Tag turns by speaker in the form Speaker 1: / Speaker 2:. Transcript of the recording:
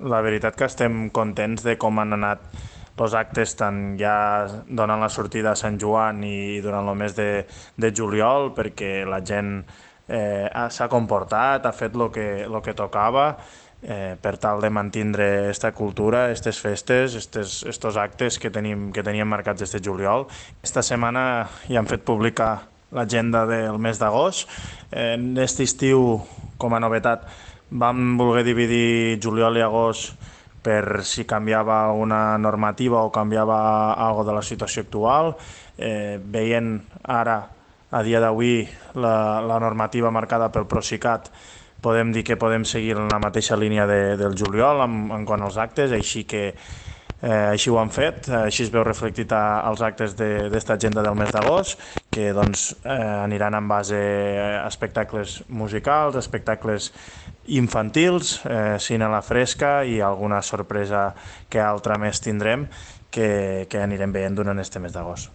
Speaker 1: La veritat que estem contents de com han anat els actes tant ja donant la sortida a Sant Joan i durant el mes de juliol, perquè la gent s'ha comportat, ha fet lo que tocava per tal de mantindre aquesta cultura, aquestes festes, estos actes que teníem marcats este juliol. Esta setmana ja han fet pública l'agenda del mes d'agost. En aquest estiu, com a novetat, vam voler dividir juliol i agost per si canviava alguna normativa o canviava algo de la situació actual. Veient ara, a dia d'avui, la normativa marcada pel Procicat, podem dir que podem seguir en la mateixa línia del juliol en quant als actes, així que així ho han fet, així es veu reflectit als actes d'esta agenda del mes d'agost, que doncs, aniran en base a espectacles musicals, espectacles infantils, cine a la fresca i alguna sorpresa que altra més tindrem que anirem veient durant este mes d'agost.